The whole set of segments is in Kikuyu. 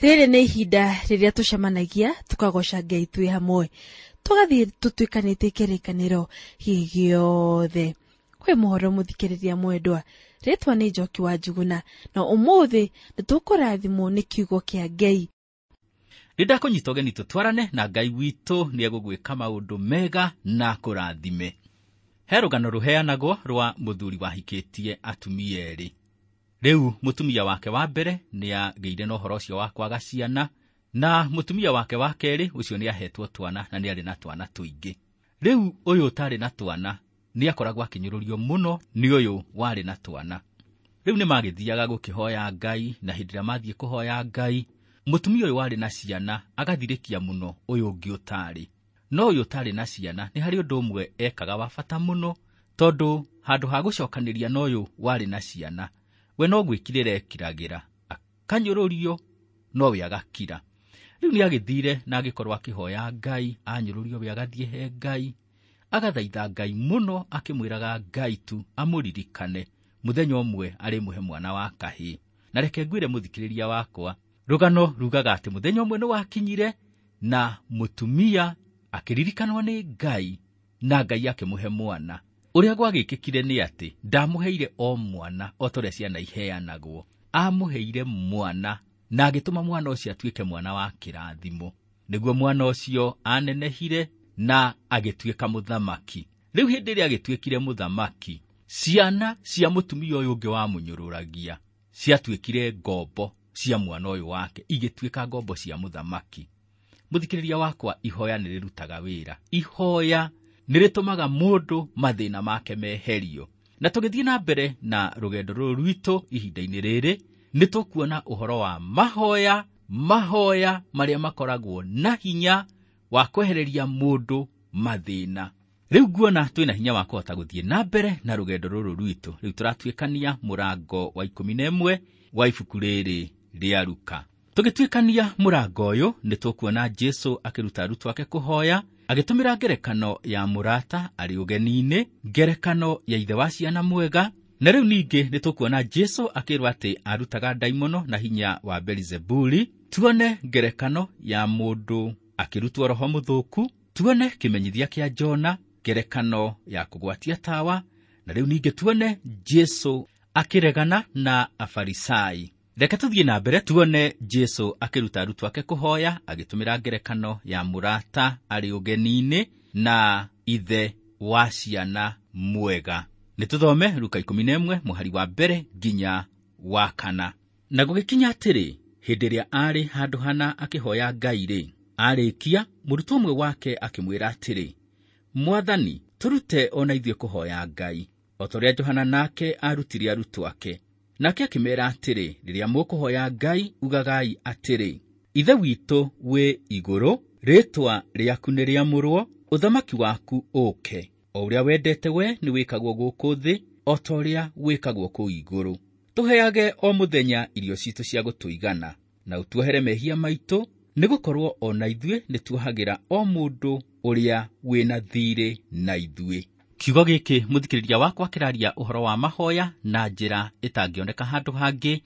Rĩrĩ nĩ ihinda rĩrĩa tũcemanagia tũkagoca Ngai twĩ hamwe, tũgathiĩ tũtuĩkanĩtie kĩrĩkanĩro gĩothe. Kwĩ mũhoro mũthikĩrĩria mwendwa, rĩtwa nĩ Njoki wa Njuguna, na ũmũthĩ nĩ tũkũrathimwo nĩ kiugo kĩa Ngai. Nĩ ndakũnyita ũgeni tũtwarane na Ngai witũ nĩ egũgwĩka maũndũ mega na kũrathime. He rũgano rũheanagwo rwa mũthuri wahikĩtie atumia erĩ. Rĩu mũtumia wake wa mbere nĩ agĩire na ũhoro ũcio wa kwaga ciana, na mũtumia wake wa kerĩ ũcio nĩ ahetwo twana na nĩ arĩ na twana tũingĩ. Rĩu ũyũ ũtarĩ na twana nĩ akoragwo akĩnyũrũrio mũno nĩ ũyũ warĩ na twana. Rĩu nĩ magĩthiaga gũkĩhoya Ngai, na hĩndĩ ĩrĩa mathiĩ kũhoya Ngai, mũtumia ũyũ warĩ na ciana agathirĩkia mũno ũyũ ũngĩ ũtarĩ. No ũyũ ũtarĩ na ciana nĩ harĩ ũndũ ũmwe ekaga wa bata mũno, tondũ handũ ha gũcokanĩria na ũyũ warĩ na ciana, we no gwĩkirĩra ekiragĩra, akanyũrũrio, no we agakira. Rĩu nĩ agĩthire na agĩkorwo akĩhoya Ngai, anyũrũrio we agathiĩ he Ngai, agathaitha Ngai mũno akĩmwĩraga Ngai tu amũririkane mũthenya ũmwe arĩmũhe mwana wa kahĩĩ. Na reke ngwĩre mũthikĩrĩria wakwa, rũgano rugaga atĩ mũthenya ũmwe nĩ wakinyire na mũtumia akĩririkanwo nĩ Ngai na Ngai akĩmũhe mwana. Ũrĩa gwagĩkĩkire nĩ atĩ ndamũheire o mwana o ta ũrĩa ciana iheanagwo, amũheire mwana na agĩtũma mwana ũcio atuĩke mwana wa kĩrathimo. Nĩguo mwana ũcio anenehire na agĩtuĩka mũthamaki. Rĩu hĩndĩ ĩrĩa agĩtuĩkire mũthamaki, ciana cia mũtumia ũyũ ũngĩ wamũnyũrũragia ciatuĩkire ngombo cia mwana ũyũ wake, igĩtuĩka ngombo cia mũthamaki. Mũthikĩrĩria wakwa, ihoya nĩ rĩrutaga wĩra. Ihoya nĩ rĩtũmaga mũndũ mathĩna make meherio. Na tũgĩthiĩ na mbere na rũgendo rũrũ rwitũ ihinda-inĩ rĩrĩ, nĩ tũkuona ũhoro wa mahoya, mahoya marĩa makoragwo na hinya wa kwehereria mũndũ mathĩna. Rĩu nguona twĩna hinya wa kũhota gũthiĩ na mbere na rũgendo rũrũ rwitũ. Rĩu tũratuĩkania mũrango wa 11 wa ibuku rĩrĩ rĩa Luka. Tũgĩtuĩkania mũrango ũyũ nĩ tũkuona Jesũ akĩruta arutwo ake kũhoya, agĩtũmĩra ngerekano ya mũrata arĩ ũgeni-inĩ, ngerekano ya ithe wa ciana mwega, na rĩu ningĩ nĩ tũkuona Jesũ akĩrwo atĩ arutaga ndaimono na hinya wa Belizebuli, tuone ngerekano ya mũndũ akĩrutwo roho mũthũku, tuone kĩmenyithia kĩa Jona, ngerekano ya kũgwatia tawa, na rĩu ningĩ tuone Jesũ akĩregana na Afarisai. Reke tũthiĩ na mbere tuone Jesũ akĩruta arutwo ake kũhoya agĩtũmĩra ngerekano ya mũrata arĩ ũgeni-inĩ na ithe wa ciana mwega. Nĩ tũthome Luka 11 mũhari wa mbere nginya wa kana. Na gũgĩkinya atĩrĩ, hĩndĩ ĩrĩa aarĩ handũ hana akĩhoya Ngai rĩ, arĩkia mũrutwo ũmwe wake akĩmwĩra atĩrĩ, Mwathani, tũrute o na ithuĩ kũhoya Ngai, o ta ũrĩa Johana nake aarutire arutwo ake. Nake akĩmeera atĩrĩ, rĩrĩa mũkũhoya Ngai, ugagai atĩrĩ, Ithe witũ wĩ igũrũ, rĩĩtwa rĩaku nĩ rĩamũrwo, ũthamaki waku ũũke, o ũrĩa wendete we nĩ wĩkagwo gũkũ thĩ, o ta ũrĩa wĩkagwo kũu igũrũ. Tũheage o mũthenya irio citũ cia gũtũigana, na ũtuohere mehia maitũ, nĩgũkorwo o na ithuĩ nĩtuohagĩra o mũndũ ũrĩa wĩna thiirĩ na ithuĩ. Kiugo gĩkĩ mũthikĩrĩria wakwa kĩraria ũhoro wa mahoya na njĩra ĩtangĩoneka handũ hangĩ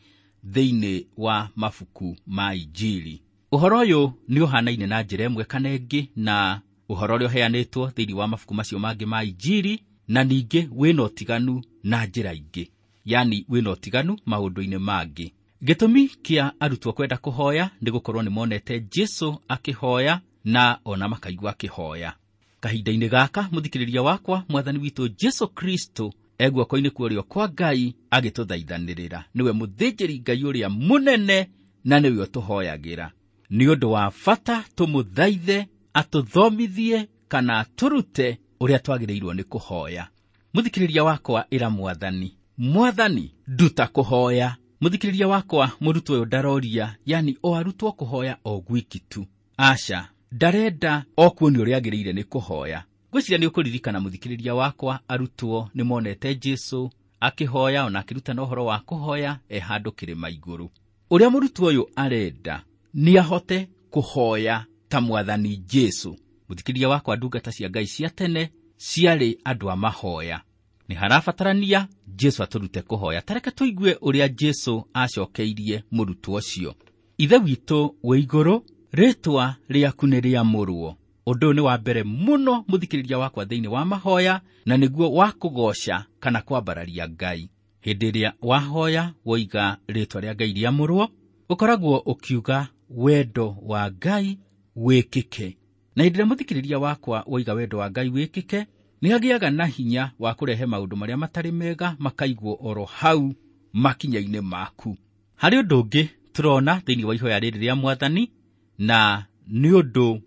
thĩinĩ wa mabuku ma Injiri. Ũhoro ũyũ nĩ ũhanaine na njĩra ĩmwe kana ĩngĩ na ũhoro ũrĩa ũheanĩtwo thĩinĩ wa mabuku macio mangĩ ma Injiri, na ningĩ wĩna ũtiganu na njĩra ingĩ, yani wĩna ũtiganu maũndũ-inĩ mangĩ. Gĩtũmi kĩa arutwo kwenda kũhoya nĩ gũkorwo nĩ monete Jesũ akĩhoya na ona makaigua akĩhoya. Kahinda-inĩ gaka mũthikĩrĩria wakwa, Mwathani witũ Jesũ Kristo e guoko-inĩ kwa ũrĩo kwa Ngai agĩtũthaithanĩrĩra. Nĩwe mũthĩnjĩri Ngai ũrĩa mũnene na nĩwe ũtũhoyagĩra. Nĩ ũndũ wa bata tũmũthaithe atũthomithie kana atũrute ũrĩa twagĩrĩirwo nĩ kũhoya. Mũthikĩrĩria wakwa, ĩra Mwathani, Mwathani, nduta kũhoya. Mũthikĩrĩria wakwa, mũrutwo ũyũ ndaroria, yani o arutwo kũhoya o gwiki tu. Aca, ndarenda o kuonio ũrĩa agĩrĩire nĩ kũhoya. Ngwĩciria nĩ ũkũririkana mũthikĩrĩria wakwa, arutwo nĩ monete Jesũ akĩhoya ona akĩrutana ũhoro wa kũhoya e handũ kĩrĩma igũrũ. Ũrĩa mũrutwo ũyũ arenda nĩ ahote kũhoya ta Mwathani Jesũ. Mũthikĩrĩria wakwa, ndungata cia Ngai cia tene ciarĩ andũ a mahoya. Nĩ harabatarania Jesũ atũrute kũhoya. Ta reke tũigue ũrĩa Jesũ acokeirie mũrutwo ũcio. Ithe witũ wĩ igũrũ, rĩtwa rĩaku nĩ rĩamũrwo. Ũndũ ũyũ nĩ wa mbere mũno mũthikĩrĩria wakwa thĩinĩ wa mahoya, na nĩguo wa kũgoca kana kwambararia Ngai. Hĩndĩ ĩrĩa wahoya woiga rĩtwa rĩa Ngai rĩamũrwo, ũkoragwo ũkiuga wendo wa Ngai wĩkĩke. Na hĩndĩ ĩrĩa mũthikĩrĩria wakwa woiga wendo wa Ngai wĩkĩke, nĩ agĩaga na hinya wa kũrehe maũndũ marĩa matarĩ mega makaigwo oro hau makinya-inĩ maku. Harĩ ũndũ ũngĩ tũrona thĩinĩ wa ihoya rĩrĩ rĩa Mwathani, na nĩ ũndũ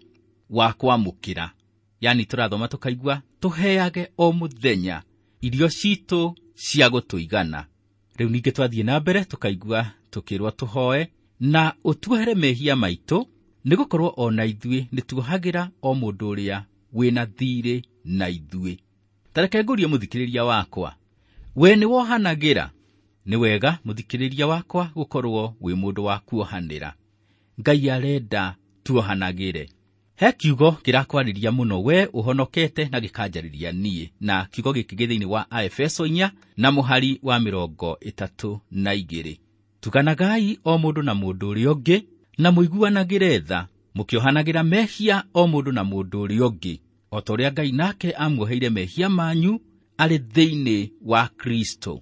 wa kwamũkĩra. Yani tũrathoma tũkaigua tũheage o mũthenya irio citũ cia gũtũigana. Rĩu ningĩ twathiĩ na mbere tũkaigua tũkĩrwo tũhoe na ũtuohere mehia maitũ, nĩgũkorwo o na ithuĩ nĩtuohagĩra o mũndũ ũrĩa wĩna thiirĩ na ithuĩ. Ta reke ngũrie mũthikĩrĩria wakwa, we nĩwohanagĩra? Nĩ wega mũthikĩrĩria wakwa gũkorwo wĩ mũndũ wa kuohanĩra. Ngai arenda tuohanagĩre. He kiugo kĩrakwarĩria mũno we ũhonokete na gĩkanjarĩria niĩ, na kiugo gĩkĩ gĩ thĩinĩ wa Aefeso 4 na mũhari wa 32. Tuganagai o mũndũ na mũndũ ũrĩa ũngĩ, na mũiguanagĩre tha, mũkĩohanagĩra mehia o mũndũ na mũndũ ũrĩa ũngĩ, o ta ũrĩa Ngai nake amuoheire mehia manyu arĩ thĩinĩ wa Kristo.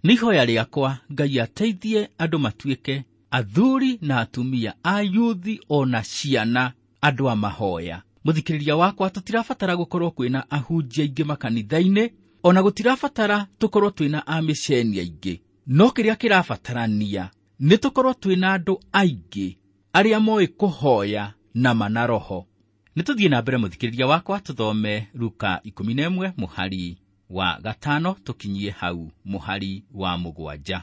Nĩ ihoya rĩakwa Ngai ateithie andũ matuĩke athuri na atumia, ayuthi o na ciana, andũ a mahoya. Mũthikĩrĩria wakwa, tũtirabatara gũkorwo kwĩna ahunjia aingĩ makanitha-inĩ, ona gũtirabatara tũkorwo twĩna amĩceni aingĩ. No kĩrĩa kĩrabatarania nĩ tũkorwo twĩna andũ aingĩ arĩa moĩ kũhoya na mana roho. Nĩ tũthiĩ na mbere mũthikĩrĩria wakwa, tũthome Luka 11 mũhari wa 5 tũkinyie hau mũhari wa 7.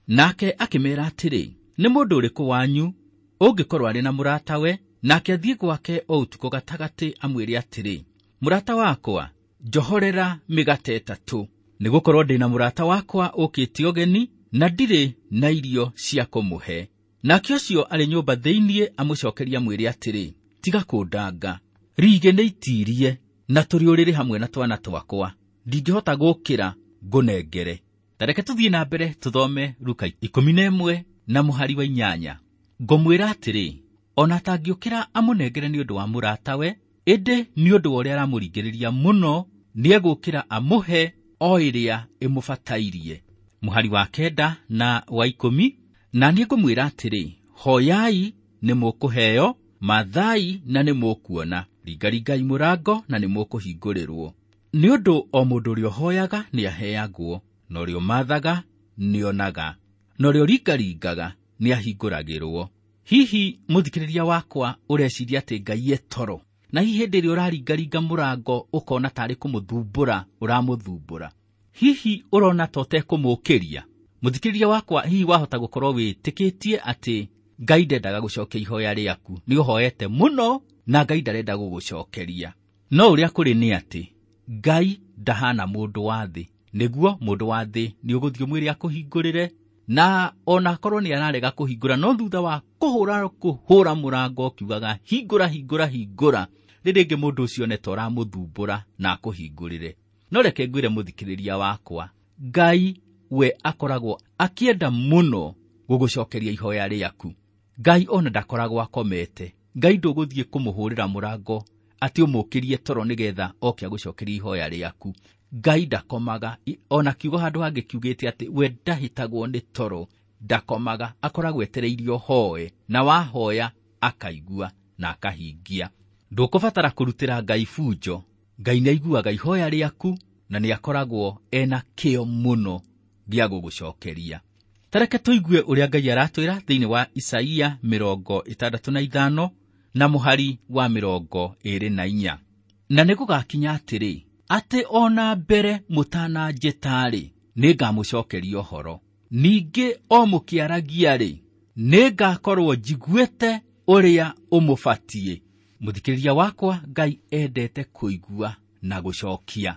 Nake akĩmera atĩrĩ, nĩ mũndũ ũrĩkũ wanyu ũngĩkorwo arĩ na mũratawe, nake athiĩ gwake o ũtukũ gatagatĩ amwĩre atĩrĩ, mũrata wakwa, njohorera mĩgate 3, nĩgũkorwo ndĩ na mũrata wakwa ũkĩte ũgeni na ndirĩ na irio cia kũmũhe. Nake ũcio arĩ nyũmba thĩinĩ amũcokeria amwĩre atĩrĩ, tiga kũndanga, rigĩ nĩ itirie na tũrĩ ũrĩrĩ hamwe na twana twakwa, ndingĩhota gũkĩra ngũnengere. Ta reke tũthiĩ na mbere tũthome Luka 11 na mũhari wa 8. Ngũmwĩra atĩrĩ, ona atangĩũkĩra amũnengere nĩ ũndũ wa mũratawe, ĩndĩ nĩ ũndũ wa ũrĩa aramũringĩrĩria mũno, nĩegũkĩra amũhe o ĩrĩa ĩmũbatairie. Mũhari wa 9 na wa 10, na niĩ ngũmwĩra atĩrĩ, hoyai nĩ mũkũheo, mathai na nĩ mũkuona, ringaringai mũrango na nĩ mũkũhingũrĩrwo. Nĩ ũndũ o mũndũ ũrĩa ũhoyaga nĩaheagwo, na ũrĩa ũmathaga nĩonaga, na ũrĩa ũringaringaga nĩahingũragĩrwo. Hihi mũthikĩrĩria wakwa ũreciria atĩ Ngai e toro, na hihi hĩndĩ ĩrĩa ũraringaringa mũrango ũkona tarĩ kũmũthumbũra ũramũthumbũra, hihi ũrona ta ũtekũmũũkĩria? Mũthikĩrĩria wakwa, hihi wahota gũkorwo wĩtĩkĩtie atĩ Ngai ndendaga gũcokia ihoya rĩaku, nĩ ũhoete mũno na Ngai ndarenda gũgũcokeria. No ũrĩa kũrĩ nĩ atĩ Ngai ndahana mũndũ wa thĩ. Nĩguo mũndũ wa thĩ nĩ ũgũthiĩ ũmwĩre akũhingũrĩre, na ona akorwo nĩ ararega kũhingũra, no thutha wa kũhũra mũrango ũkiugaga hingũra, hingũra, hingũra, rĩrĩ rĩngĩ mũndũ ũcio nĩ ta ũramũthumbũra na akũhingũrĩre. No reke ngwĩre mũthikĩrĩria wakwa, Ngai we akoragwo akĩenda mũno gũgũcokeria ihoya rĩaku. Ngai ona ndakoragwo akomete. Ngai ndũgũthiĩ kũmũhũrĩra mũrango atĩ ũmũkĩrie toro nĩgetha oke agũcokerie ihoya rĩaku. Ngai ndakomaga, ona kiugo handũ hangĩ kiugĩte atĩ we ndahĩtagwo nĩ toro, ndakomaga, akoragwo etereirie ũhoe, na wahoya akaigua na akahingia. Ndũkũbatara kũrutĩra Ngai bunjo. Ngai nĩaiguaga ihoya rĩaku na nĩakoragwo ena kĩo mũno gĩa gũgũcokeria. Ta reke tũigue ũrĩa Ngai aratwĩra thĩinĩ wa Isaia 65 na mũhari wa 24. Na nĩgũgakinya atĩrĩ, atĩ ona mbere mũtananjĩta-rĩ, nĩngamũcokeria ũhoro. Ningĩ o mũkĩaragia-rĩ, nĩngakorwo njiguĩte ũrĩa ũmũbatiĩ. Mũthikĩrĩria wakwa, Ngai endete kũigua na gũcokia.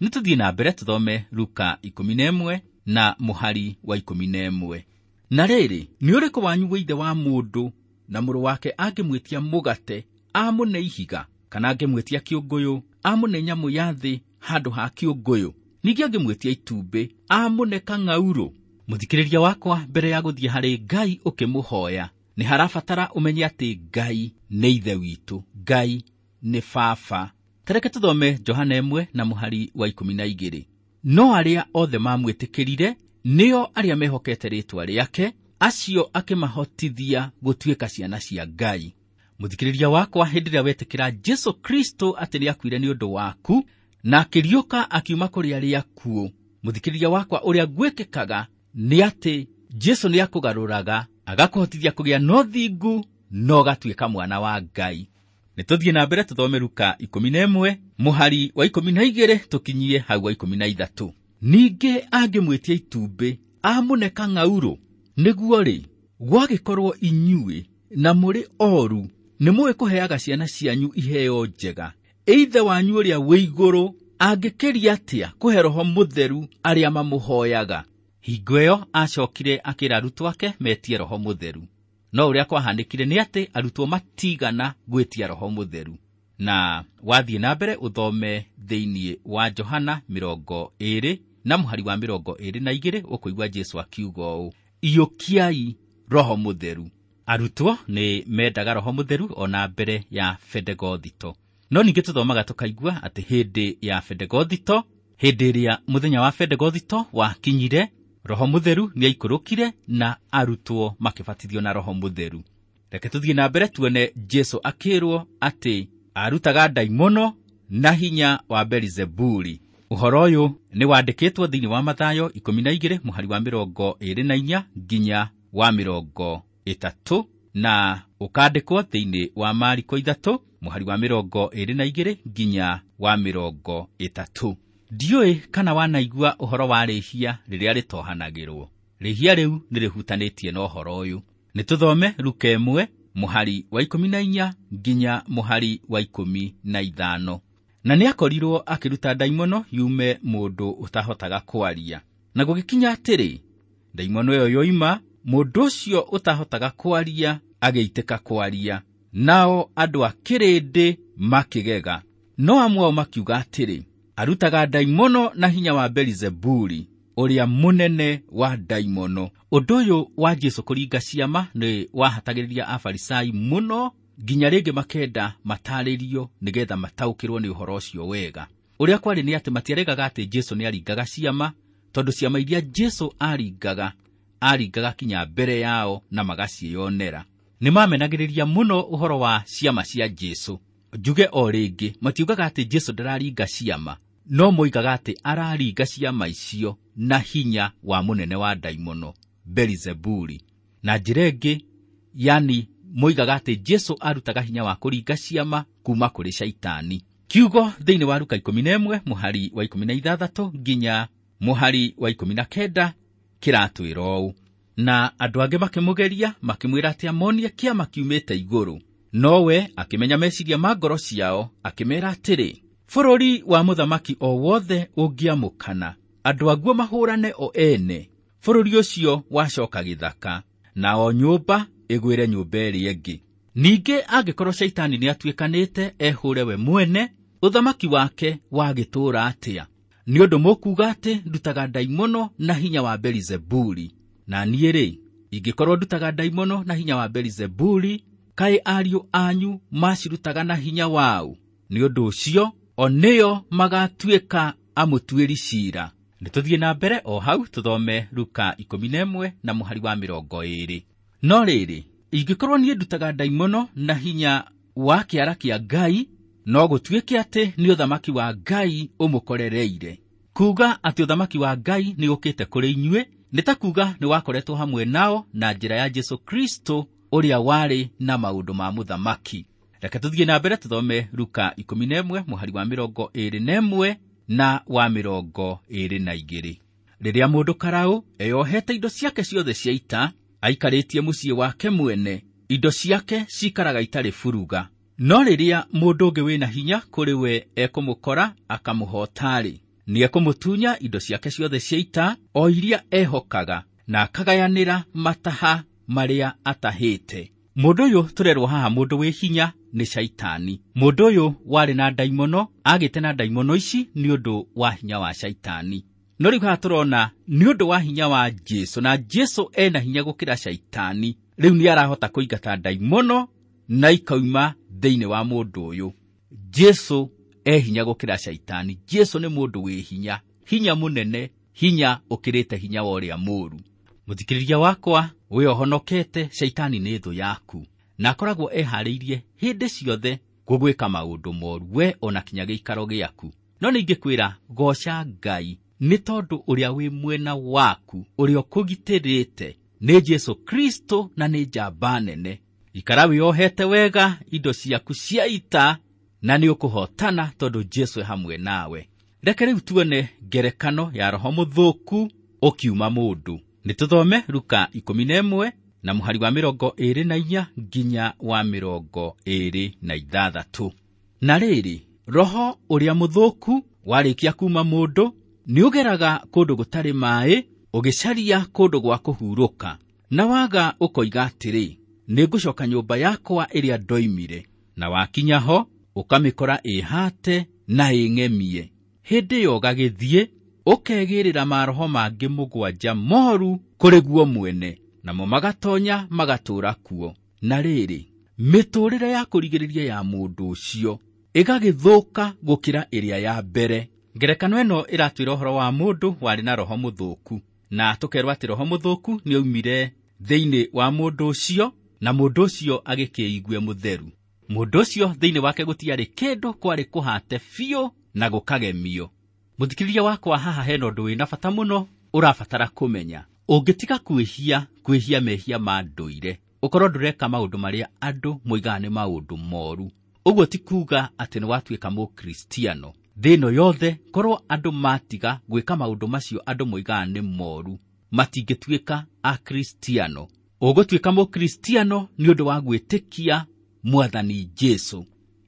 Nĩ tũthiĩ na mbere tũthome Luka 11 na mũhari wa 11. Na rĩrĩ, nĩ ũrĩkũ wanyu wĩ ithe wa mũndũ na mũrũ wake angĩmwĩtia mũgate amũne ihiga, kana angĩmwĩtia kĩũngũyũ amũne nyamũ ya thĩ handũ ha kĩũngũyũ, ningĩ angĩmwĩtia itumbĩ amũne kang'aurũ? Mũthikĩrĩria wakwa, mbere ya gũthiĩ harĩ Ngai ũkĩmũhoya, Nĩ harabatara ũmenye atĩ Ngai nĩ ithe witũ, Ngai nĩ baba. Tareke tũthome Johana 1 na mũhari wa 12. No arĩa othe mamwĩtĩkĩrire nĩo arĩa mehokete rĩĩtwa rĩake, acio akĩmahotithia gũtuĩka ciana cia Ngai. Mũthikĩrĩria wakwa, hĩndĩ ĩrĩa wetĩkĩra Jesu Kristo atĩ nĩakuire nĩ ũndũ waku na akĩriũka akiuma kũrĩ arĩa akuũ, mũthikĩrĩria wakwa, ũrĩa gwĩkĩkaga nĩ atĩ Jesu nĩakũgarũraga agakũhotithia kũgĩa na ũthingu na ũgatuĩka mwana wa Ngai. Nĩ tũthiĩ na mbere tũthome Luka 11 mũhari wa 12 tũkinyie hau wa 13. Ningĩ angĩmwĩtia itumbĩ amũne kang'aurũ, nĩguo rĩ, gwagĩkorwo inyuĩ na mũrĩ oru nĩ mũĩ kũheaga ciana cianyu iheo njega, ithe wanyu ũrĩa wĩ igũrũ angĩkĩria atĩa kũhe Roho Mũtheru arĩa mamũhoyaga? Hingo ĩyo acokire akĩra arutwo ake metie Roho Mũtheru. No ũrĩa kwahanĩkire nĩ atĩ arutwo matigana gwĩtia Roho Mũtheru. Na wathiĩ na mbere ũthome thĩinĩ wa Johana 20 na mũhari wa 22 ũkũigua Jesu akiuga ũũ, iyũkiai Roho Mũtheru. Arutwo nĩ mendaga Roho Mũtheru ona mbere ya Bendegothito. No ningĩ tũthomaga tũkaigua atĩ hĩndĩ ya Bendegothito, hĩndĩ ĩrĩa mũthenya wa Bendegothito wakinyire, Roho Mũtheru nĩaikũrũkire na arutwo makĩbatithio na Roho Mũtheru. Reke tũthiĩ na mbere tuone Jesu akĩrwo atĩ arutaga ndaimono na hinya wa Belizebuli. Ũhoro ũyũ nĩ wandĩkĩtwo thĩinĩ wa Mathayo 12 mũhari wa 24 nginya wa 30 na ũkandĩkwo thĩinĩ wa Mariko 3 mũhari wa 22 nginya wa 30. Ndiũĩ kana wanaigua ũhoro wa rĩhia rĩrĩa rĩtohanagĩrwo. Rĩhia rĩu nĩ rĩhutanĩtie na ũhoro ũyũ. Nĩ tũthome Luka 1 mũhari wa 14 nginya mũhari wa 15. Na nĩakorirwo akĩruta ndaimono yume mũndũ ũtahotaga kwaria. Na gũgĩkinya atĩrĩ, ndaimono ĩyo yoima, mũndũ ũcio ũtahotaga kwaria agĩitĩka kwaria, nao andũ a kĩrĩndĩ makĩgega. No amwe ao makiuga atĩrĩ, arutaga ndaimono na hinya wa Belizebuli, ũrĩa mũnene wa ndaimono. Ũndũ ũyũ wa Jesu kũringa ciama nĩ wahatagĩrĩria Afarisai mũno, nginya rĩngĩ makenda matarĩrio nĩgetha mataũkĩrwo nĩ ũhoro ũcio wega. Ũrĩa kwarĩ nĩ atĩ matiaregaga atĩ Jesu nĩaringaga ciama, tondũ ciama iria Jesu aringaga, aringaga kinya mbere yao na magaciĩyonera. Nĩ mamenagĩrĩria mũno ũhoro wa ciama cia Jesu. Njuge o rĩngĩ, matiugaga atĩ Jesu ndararinga ciama, no moigaga atĩ araringa ciama icio na hinya wa mũnene wa ndaimono, Belizebuli. Na njĩra ĩngĩ, yani moigaga atĩ Jesu arutaga hinya wa kũringa ciama kuma kũrĩ Shaitani. Kiugo thĩinĩ wa Luka 11 mũhari wa 16 nginya mũhari wa 19 kĩratwĩra ũũ. Na andũ angĩ makĩmũgeria makĩmwĩra atĩ amonie kĩama kiumĩte igũrũ. Nowe akĩmenya meciria ma ngoro ciao, akĩmeera atĩrĩ, bũrũri wa mũthamaki o wothe ũngĩamũkana, andũ aguo mahũrane o ene, bũrũri ũcio wacoka gĩthaka, na o nyũmba ĩgwĩre nyũmba ĩrĩa ĩngĩ. Ningĩ angĩkorwo Shaitani nĩatuĩkanĩte ehũre we mwene, ũthamaki wake wagĩtũũra atĩa? Nĩ ũndũ mũkuuga atĩ ndutaga ndaimono na hinya wa Belizebuli. Na niĩ rĩ, ingĩkorwo ndutaga ndaimono na hinya wa Belizebuli, kaĩ ariũ anyu macirutaga na hinya wau? Nĩ ũndũ ũcio o nĩo magatuĩka amũtuĩri ciira. Nĩ tũthiĩ na mbere o hau tũthome Luka 11 na mũhari wa 20. No rĩrĩ, ingĩkorwo niĩ ndutaga ndaimono na hinya wa kĩara kĩa Ngai, no gũtuĩke atĩ nĩ ũthamaki wa Ngai ũmũkorereire. Kuuga atĩ ũthamaki wa Ngai nĩ ũkĩte kũrĩ inyuĩ, nĩ ta kuuga nĩ wakoretwo hamwe nao na njĩra ya Jesu Kristo ũrĩa warĩ na maũndũ ma mũthamaki. Reke tũthiĩ na mbere tũthome Luka 11 mũhari wa 21 na wa 22. Rĩrĩa mũndũ karaũ eyohete indo ciake ciothe cia ita, aikarĩtie mũciĩ wake mwene, indo ciake cikaraga itarĩ buruga. No rĩrĩa mũndũ ũngĩ wĩna hinya kũrĩ we ekũmũkora akamũhota-rĩ, nĩekũmũtunya indo ciake ciothe cia ita o iria ehokaga, na akagayanĩra mataha marĩa atahĩte. Mũndũ ũyũ tũrerwo haha mũndũ wĩ hinya nĩ Shaitani. Mũndũ ũyũ warĩ na ndaimono, agĩte na ndaimono ici nĩ ũndũ wa hinya wa Shaitani. No rĩu haha tũrona nĩ ũndũ wa hinya wa Jesu, na Jesu ena hinya gũkĩra caitani, rĩu nĩ arahota kũingata ndaimono na ikauma thĩinĩ wa mũndũ ũyũ. Jesu e hinya gũkĩra caitani. Jesu nĩ mũndũ wĩ hinya, hinya mũnene, hinya ũkĩrĩte hinya wa ũrĩa mũũru. Mũthikĩrĩria wakwa, we ũhonokete, caitani nĩ thũ yaku, na akoragwo eharĩirie hĩndĩ ciothe gũgwĩka maũndũ moru, we ona kinya gĩikaro gĩaku. No ningĩkwĩra goca Ngai nĩ tondũ ũrĩa wĩ mwena waku, ũrĩa ũkũgitĩrĩte nĩ Jesu Kristo na nĩ njamba nene. Ikara wĩohete wega indo ciaku cia ita na nĩ ũkũhotana tondũ Jesu e hamwe nawe. Reke rĩu tuone ngerekano ya roho mũthũku ũkiuma mũndũ. Nĩ tũthome Luka 11 na mũhari wa 24 nginya wa 26. Na rĩrĩ, roho ũrĩa mũthũku warĩkia kuma mũndũ nĩũgeraga kũndũ gũtarĩ maĩ, ũgĩcaria kũndũ gwa kũhurũka, na waga ũkoiga atĩrĩ, nĩngũcoka nyũmba yakwa ĩrĩa ndoimire. Na wakinya ho ũkamĩkora ĩhate na ĩng'emie. Hĩndĩ ĩyo ũgagĩthiĩ ũkegĩrĩra maroho mangĩ 7 moru kũrĩ guo mwene, namo magatonya magatũũra kuo. Na rĩrĩ, mĩtũũrĩre ya kũrigĩrĩria ya mũndũ ũcio ĩgagĩthũka gũkĩra ĩrĩa ya mbere. Ngerekano ĩno ĩratwĩra ũhoro wa mũndũ warĩ na roho mũthũku, na tũkerwo atĩ roho mũthũku nĩaumire thĩinĩ wa mũndũ ũcio, na mũndũ ũcio agĩkĩigue mũtheru. Mũndũ ũcio thĩinĩ wake gũtiarĩ kĩndũ, kwarĩ kũhate biũ na gũkagemio. Mũthikĩrĩria wakwa, haha hena ũndũ wĩna bata mũno ũrabatara kũmenya. Ũngĩtiga kwĩhia mehia ma ndũire, ũkorwo ndũreka maũndũ marĩa andũ moigaga nĩ maũndũ moru, ũguo ti kuuga atĩ nĩ watuĩka mũkristiano. Thĩ ĩno yothe korwo andũ matiga gwĩka maũndũ macio andũ moigaga nĩ moru, matingĩtuĩka akristiano. Ũgũtuĩka mũkristiano nĩ ũndũ wa gwĩtĩkia Mwathani Jesu.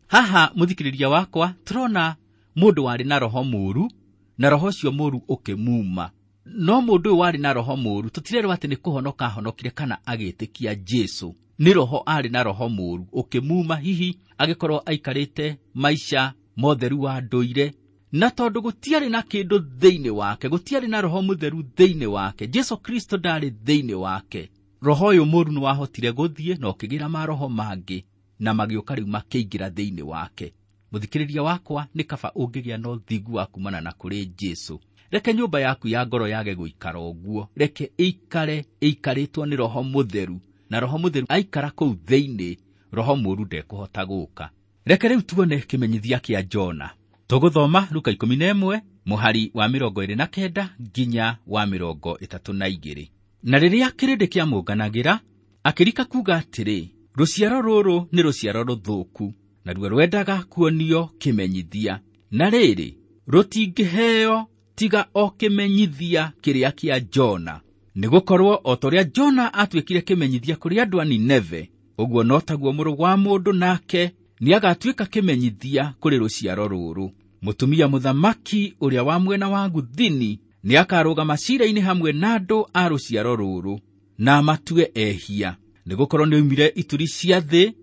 Haha mũthikĩrĩria wakwa, tũrona mũndũ warĩ na roho mũũru, na roho ũcio mũũru ũkĩmuma. No mũndũ ũyũ warĩ na roho mũũru, tũtirerwo atĩ nĩ kũhonoka ahonokire kana agĩtĩkia Jesu. Nĩ roho arĩ na roho mũũru ũkĩmuma, hihi agĩkorwo aikarĩte maica motheru wa ndũire, na tondũ gũtiarĩ na kĩndũ thĩinĩ wake, gũtiarĩ na roho mũtheru thĩinĩ wake, Jesu Kristo ndarĩ thĩinĩ wake, roho ũyũ mũũru nĩwahotire gũthiĩ na ũkĩgĩra maroho mangĩ, na magĩũka rĩu makĩingĩra thĩinĩ wake. Mũthikĩrĩria wakwa, nĩ kaba ũngĩgĩa na ũthingu wa kumana na kũrĩ Jesu. Reke nyũmba yaku ya ngoro yage gũikara ũguo, reke ĩikare ĩikarĩtwo nĩ roho mũtheru, na roho mũtheru aikara kũu thĩinĩ, roho mũũru ndekũhota gũka. Reke rĩu tuone kĩmenyithia kĩa Jona. Tũgũthoma Luka 11 mũhari wa 29 nginya wa 32. Na rĩrĩa kĩrĩndĩ kĩamũnganagĩra, akĩrika kuuga atĩrĩ, rũciaro rũrũ nĩ rũciaro rũthũku, naruo rwendaga kuonio kĩmenyithia. Na rĩrĩ, rũtingĩheo tiga o kĩmenyithia kĩrĩa kĩa Jona. Nĩgũkorwo o ta ũrĩa Jona atuĩkire kĩmenyithia kũrĩ andũ a Nineve, ũguo no taguo mũrũ wa mũndũ nake nĩagatuĩka kĩmenyithia kũrĩ rũciaro rũrũ. Mũtumia mũthamaki ũrĩa wa mwena wa Gũthini nĩakarũgama ciira-inĩ hamwe na andũ a rũciaro rũrũ, na amatue ehia, nĩgũkorwo nĩoimire ituri cia thĩ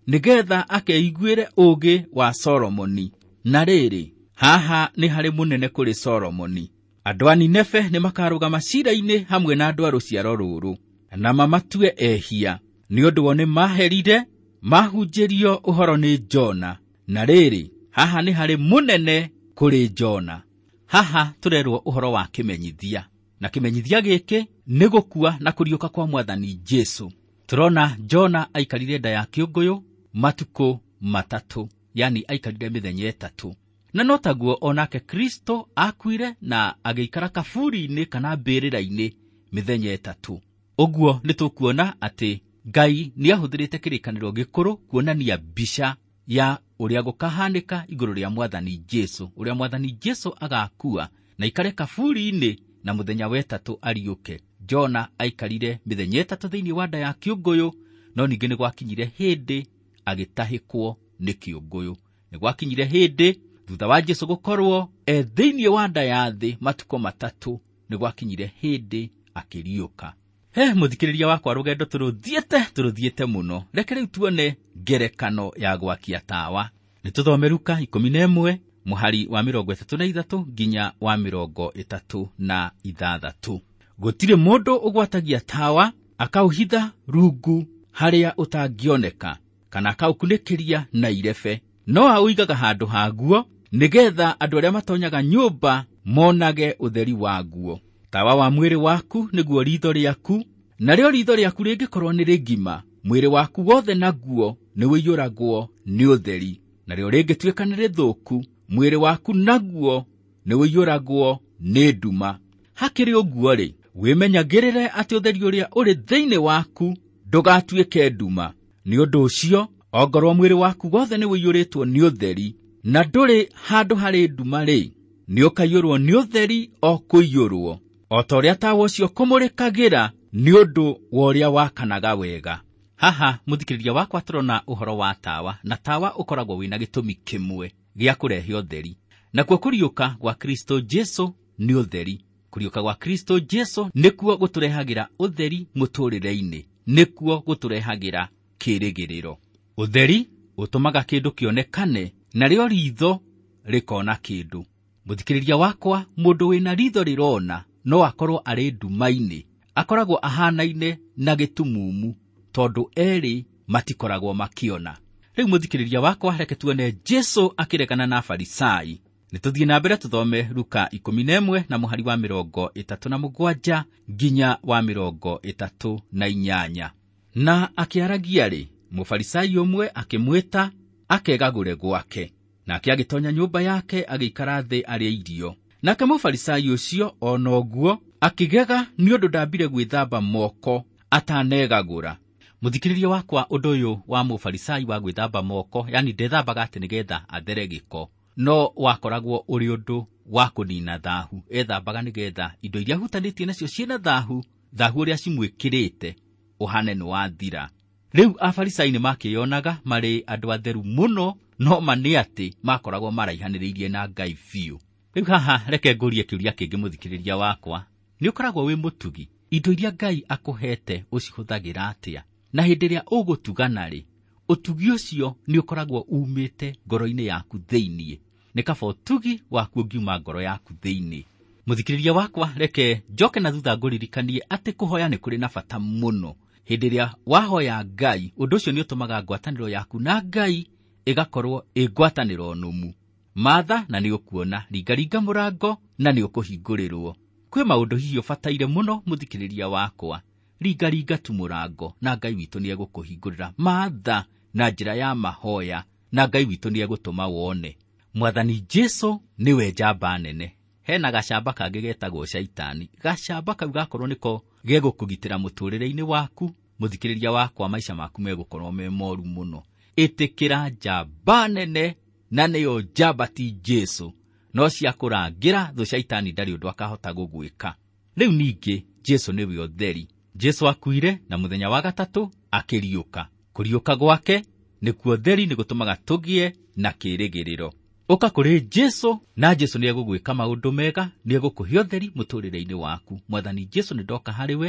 nĩgetha akeiguĩre ũũgĩ wa Solomoni. Na rĩrĩ, haha nĩ harĩ mũnene kũrĩ Solomoni. Andũ a Nineve nĩmakarũgama ciira-inĩ hamwe na andũ a rũciaro rũrũ, na mamatue ehia, nĩ ũndũ o nĩmaherire mahunjĩrio ũhoro nĩ Jona. Na rĩrĩ, haha nĩ harĩ mũnene kũrĩ Jona. Haha tũrerwo ũhoro wa kĩmenyithia, na kĩmenyithia gĩkĩ nĩ gũkua na kũriũka kwa Mwathani Jesu. Tũrona Jona aikarire nda ya kĩũngũyũ matukũ 3, yani aikarire mĩthenya 3. Na no taguo onake Kristo akuire na agĩikara kaburi-inĩ kana mbĩrĩra-inĩ mĩthenya 3. Ũguo nĩ tũkuona atĩ Ngai nĩahũthĩrĩte kĩrĩkanĩro gĩkũrũ kuonania mbica ya ũrĩa gũkahanĩka igũrũ rĩa Mwathani Jesu, ũrĩa Mwathani Jesu agakua na ikare kaburi-inĩ na mũthenya wa 3 ariũke. Jona aikarire mĩthenya 3 thĩinĩ wa nda ya kĩũngũyũ, no ningĩ nĩ gwakinyire hĩndĩ agĩtahĩkwo nĩ kĩũngũyũ. Nĩ gwakinyire hĩndĩ thutha wa Jesu gũkorwo e thĩinĩ wa nda ya thĩ matukũ 3, nĩ gwakinyire hĩndĩ akĩriũka. He mũthikĩrĩria wakwa, rũgendo tũrũthiĩte mũno. Reke rĩu tuone ngerekano ya gwakia tawa. Nĩ tũthome Luka 11 Mũhari wa 33 nginya wa 36. Gũtirĩ mũndũ ũgwatagia tawa akaũhitha rungu harĩa ũtangĩoneka, kana akaũkunĩkĩria na irebe, no aũigaga handũ haguo nĩgetha andũ arĩa matonyaga nyũmba monage ũtheri waguo. Tawa wa mwĩrĩ waku nĩguo riitho rĩaku, narĩo riitho rĩaku rĩngĩkorwo nĩ rĩgima, mwĩrĩ waku wothe naguo nĩũiyũragwo nĩ ũtheri. Narĩo rĩngĩtuĩka nĩ rĩthũku, mwĩrĩ waku naguo nĩũiyũragwo nĩ nduma. Hakĩrĩ ũguo-rĩ, wĩmenyagĩrĩre atĩ ũtheri ũrĩa ũrĩ thĩinĩ waku ndũgatuĩke nduma. Nĩ ũndũ ũcio, ongorwo mwĩrĩ waku wothe nĩũiyũrĩtwo nĩ ũtheri, na ndũrĩ handũ harĩ nduma-rĩ, nĩũkaiyũrwo nĩ ũtheri o kũiyũrwo, o ta ũrĩa tawa ũcio kũmũrĩkagĩra nĩ ũndũ wa ũrĩa wakanaga wega. Haha mũthikĩrĩria wakwa tũrona ũhoro wa tawa, na tawa ũkoragwo wĩna gĩtũmi kĩmwe gĩa kũrehe ũtheri. Nakuo kũriũka gwa Kristo Jesu nĩ ũtheri. Kũriũka gwa Kristo Jesu nĩkuo gũtũrehagĩra ũtheri mũtũrĩre-inĩ, nĩkuo gũtũrehagĩra kĩĩrĩgĩrĩro. Ũtheri ũtũmaga kĩndũ kĩonekane, narĩo riitho rĩkona kĩndũ. Mũthikĩrĩria wakwa, mũndũ wĩna riitho rĩrona no akorwo arĩ nduma-inĩ, akoragwo ahanaine na gĩtumumu, tondũ erĩ matikoragwo makĩona. Rĩu mũthikĩrĩria wakwa, reke tuone Jesu akĩregana na Afarisai. Nĩtũthiĩ na mbere tũthome Luka 11 na mũhari wa 37 nginya wa 38. Na akĩaragia-rĩ, Mũfarisai ũmwe akĩmwĩta akegagũre gwake, nake agĩtonya nyũmba yake agĩikara thĩ arĩe irio. Nake Mũfarisai ũcio ona ũguo akĩgega nĩ ũndũ ndambire gwĩthamba moko atanegagũra. Mũthikĩrĩria wakwa, ũndũ ũyũ wa Mũfarisai wa gwĩthamba moko, yani ndethambaga atĩ nĩgetha athere gĩko, no wakoragwo ũrĩ ũndũ wa kũnina thahu. Ethambaga nĩgetha indo iria ahutanĩtie nacio ciĩna thahu, thahu ũrĩa cimwĩkĩrĩte ũhane nĩ wathira. Rĩu Afarisai nĩmakĩyonaga marĩ andũ atheru mũno, no ma nĩ atĩ makoragwo maraihanĩrĩirie na Ngai biũ. Rĩu haha reke ngũrie kĩũria kĩngĩ mũthikĩrĩria wakwa, nĩ ũkoragwo wĩ mũtugi? Indo iria Ngai akũhete ũcihũthagĩra atĩa? Na hĩndĩ ĩrĩa ũgũtugana-rĩ, ũtugi ũcio nĩ ũkoragwo umĩte ngoro-inĩ yaku thĩinĩ. Nĩ kaba ũtugi waku ũngiuma ngoro yaku thĩinĩ. Mũthikĩrĩria wakwa, reke njoke na thutha ngũririkanie atĩ kũhoya nĩ kũrĩ na bata mũno. Hĩndĩ ĩrĩa wahoya Ngai, ũndũ ũcio nĩ ũtũmaga ngwatanĩro yaku na Ngai ĩgakorwo ĩ ngwatanĩro nũmu. Matha na nĩ ũkuona, ringaringa mũrango na nĩ ũkũhingũrĩrwo. Kwĩ maũndũ hihi ũbataire mũno mũthikĩrĩria wakwa, ringaringa tu mũrango na Ngai witũ nĩ egũkũhingũrĩra. Matha na njĩra ya mahoya na Ngai witũ nĩ egũtũma wone. Mwathani Jesu nĩwe njamba nene. Hena gacamba kangĩ getagwo Shaitani. Gacamba kau gakorwo nĩko gegũkũgitĩra mũtũrĩre-inĩ waku, mũthikĩrĩria wakwa, maica maku megũkorwo me moru mũno. Ĩtĩkĩra njamba nene, na nĩyo njamba ti Jesu, no cia kũrangĩra thũ Shaitani ndarĩ ũndũ akahota gũgwĩka. Rĩu ningĩ Jesu nĩwe ũtheri. Jesu akuire na mũthenya wa gatatũ akĩriũka. Kũriũka gwake nĩkuo ũtheri, nĩ gũtũmaga tũgĩe na kĩĩrĩgĩrĩro. Ũka kũrĩ Jesu na Jesu nĩ egũgwĩka maũndũ mega, nĩ egũkũhe ũtheri mũtũrĩre-inĩ waku. Mwathani Jesu, nĩ ndoka harĩ we,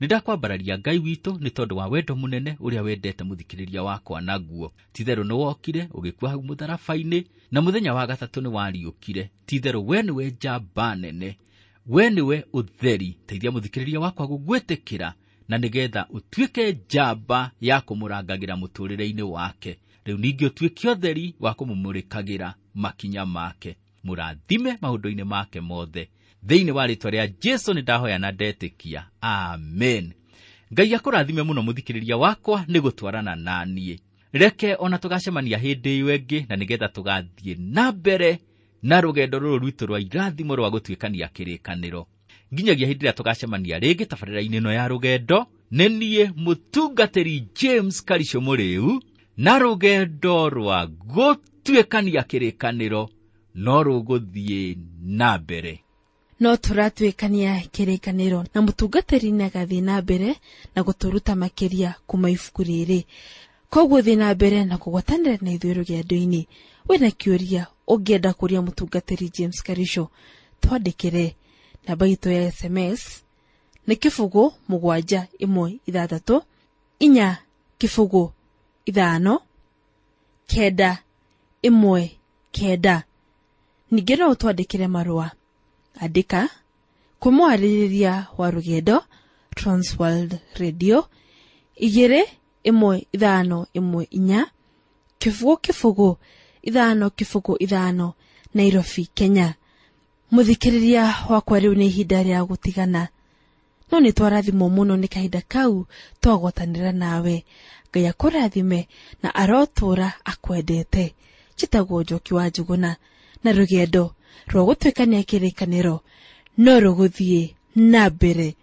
nĩ ndakwambararia Ngai witũ nĩ tondũ wa wendo mũnene ũrĩa wendete mũthikĩrĩria wakwa naguo. Ti-itherũ nĩ wokire ũgĩkua hau mũtharaba-inĩ, na mũthenya wa gatatũ nĩ wariũkire. Ti-itherũ we nĩwe njamba nene, we nĩwe ũtheri. Teithia mũthikĩrĩria wakwa gũgwĩtĩkĩra na nĩgetha ũtuĩke njamba ya kũmũrangagĩra mũtũrĩre-inĩ wake. Rĩu ningĩ ũtuĩke ũtheri wa kũmũmũrĩkagĩra makinya make. Mũrathime maũndũ-inĩ make mothe. Thĩinĩ wa rĩĩtwa rĩa Jesu nĩ ndahoya na ndetĩkia. Amen. Ngai akũrathime mũno mũthikĩrĩria wakwa nĩ gũtwarana na niĩ. Reke ona tũgacemania hĩndĩ ĩyo ĩngĩ, na nĩgetha tũgathiĩ na mbere na rũgendo rũrũ rwitũ rwa irathimo rwa gũtuĩkania kĩrĩkanĩro. Nginyagia hĩndĩ ĩrĩa tũgacemania rĩngĩ tabarĩra-inĩ ĩno ya rũgendo, nĩ niĩ mũtungatĩri James Karisho Mũrĩu, na rũgendo rwa gũtuĩkania kĩrĩkanĩro no rũgũthiĩ na mbere. No tũratuĩkania kĩrĩkanĩro na mũtungatĩri nĩagathiĩ na mbere na gũtũruta makĩria kuma ibuku rĩrĩ. Koguo thiĩ na mbere na kũgwatanĩra na ithuĩ rũgendo-inĩ. Wĩna kĩũria ũngĩenda kũria mũtungatĩri James Karisho, twandĩkĩre. Namba itũ ya SMS nĩ 0 7 1 6 4 0 5 9 1 9. Ningĩ no ũtwandĩkĩre marũa. Andĩka kwĩ mwarĩrĩria wa rũgendo Transworld Radio 21514 0 0 5 0 5 Nairobi, Kenya. Mũthikĩrĩria wakwa, rĩu nĩ ihinda rĩa gũtigana, no nĩ twarathimwo mũno nĩ kahinda kau twagwatanĩra nawe. Ngai akũrathime na arotũũra akwendete. Njĩtagwo Njoki wa Njũgũna, na rũgendo rwa gũtuĩkania kĩrĩkanĩro no rũgũthiĩ na mbere.